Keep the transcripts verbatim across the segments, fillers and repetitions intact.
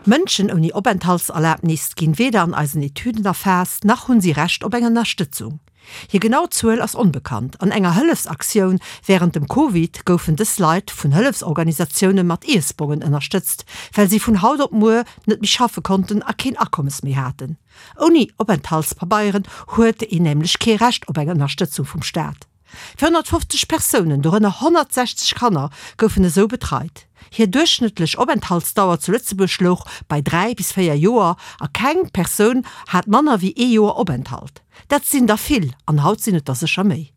Mënschen ouni Openthaltserlabnis ginn weder an eisen Etüden erfaasst, nach hunn si Recht op eng Ënnerstëtzung. Hir genau Zuel ass onbekannt. An enger Hëllefsaktioun wärend dem Covid goufen dës Leit vun Hëllefsorganisatioune mat Iessbongen ënnerstëtzt, well si vun haut op muer net méi schaffe konnten a keen Akommes méi haten. Ouni Openthaltspabeieren huet een nämlech kee Recht op eng Ënnerstëtzung vum Staat. véierhonnertfofzeg Persounen, dorënner honnertsechzeg Kanner, goufen esou betreit. Hir duerchschnëttlech Openthaltsdauer zu Lëtzebuerg louch bei dräi bis véier Joer a keng Persoun hat manner wéi ee Joer Openthalt. Dat sinn der vill an haut sinn et der sécher méi.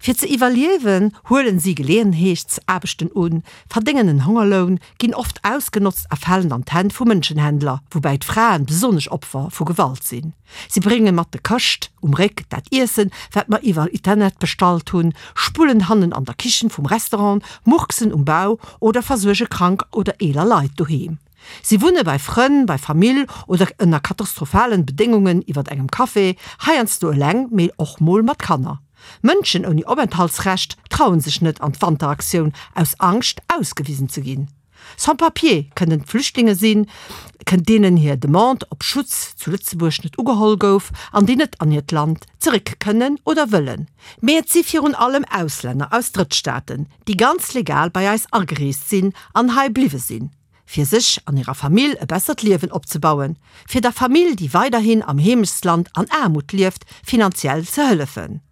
Fir ze iwwerliewen, huelen si Geleeënheetsaarbechten un, verdéngen en Hongerloun, ginn oft ausgenotzt a falen an d'Hänn vu Mënschenhändler, woubäi d'Fraen besonnesch Opfer vu Gewalt sinn. Si brénge mat de Këscht um Réck dat Iessen, wat mer iwwer Internet bestallt hunn, spullen hannen an der Kichen vum Restaurant, murksen um Bau oder versuerge krank oder eeler Leit doheem. Si wunne bei Frënn, bei Famill oder ënner katastrophalen Bedéngungen iwwer engem Café, heiansdo eleng, mee och mol mat Kanner. Mënschen ouni Openthaltsrecht trauen sech net an d'Wanteraktioun aus Angscht ausgewisen ze ginn. Sans-papiers kënnen Flüchtlinge sinn, deenen hir Demande op Schutz zu Lëtzebuerg net ugeholl gouf an déi net an hiert Land zeréck kënnen oder wëllen. Mee et si virun allem Auslänner aus Drëttstaaten, déi ganz legal bei eis agereest sinn an hei bliwwe sinn, fir sech an hirer Famill e bessert Liewen opzebauen, fir der Famill, déi weiderhin am Heemechtsland an Aarmut lieft, finanziell ze hëllefen.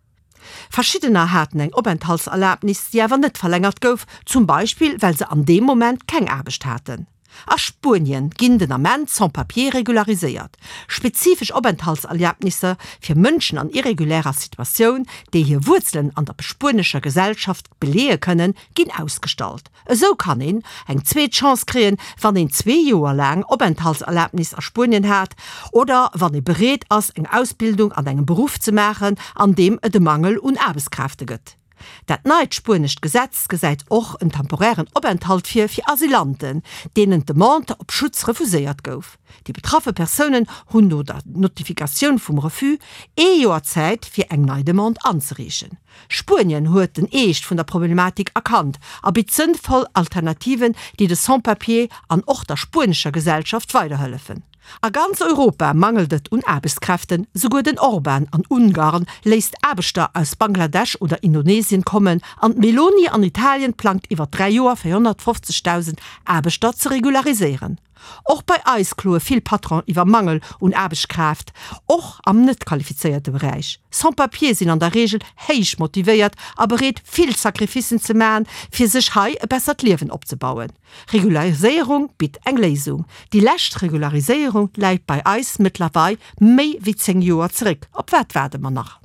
Verschiddener haten eng Openthaltserlabnis, déi awer net verlängert gouf, zum Beispill well se an deem Moment keng Aarbecht haten. A Spuenien ginn den Ament Sans-papiers regulariséiert. Spezifesch Openthaltserlabnisser fir Mënschen an irregulärer Situatioun, déi hir Wuerzelen an der spuenescher Gesellschaft beleeë kënnen, ginn ausgestallt. Esou kann een eng zweet Chance kréien, wann een zwee Joer laang Openthaltserlabnis a Spuenien hat oder wann ee bereet ass, eng Ausbildung an engem Beruff ze maachen, an deem et e Mangel un Aarbechtskräfte gëtt. Dat neit spuenescht Gesetz gesäit och en temporären Openthalt vir fir Asylanten, deenen d'Demande op Schutz refuséiert gouf. Déi betraffe Persounen hunn no der Notifikatioun vum Refus ee Joer Zäit, fir eng nei Demande anzereechen. Spuenien huet den Eescht vun der Problematik erkannt a bitt sënnvoll Alternativen, déi de Sans-papiers an och der spuenescher Gesellschaft weiderhëllefen. A ganz Europa mangelt et un Aarbechtskräften, souguer den Orban an Ungarn léisst Aarbechter aus Bangladesch oder Indonesien kommen an d'Meloni an Italien plangt iwwer dräi Joer véierhonnertfofzegdausend Aarbechter ze regulariséieren. Och bei eis kloe vill Patronen iwwer Mangel un Aarbechtskraaft, och am net qualifizéierte Beräich. Sans-papiers sinn an der Reegel héich motivéiert a bereet vill Sacrificen ze maachen, fir sech hei e bessert Liewen opzebauen. Regulariséierung bitt eng Léisung. Déi lescht Regulariséierung läit bei eis mëttlerweil méi wéi zéng Joer zeréck. Op wat waarde mer nach?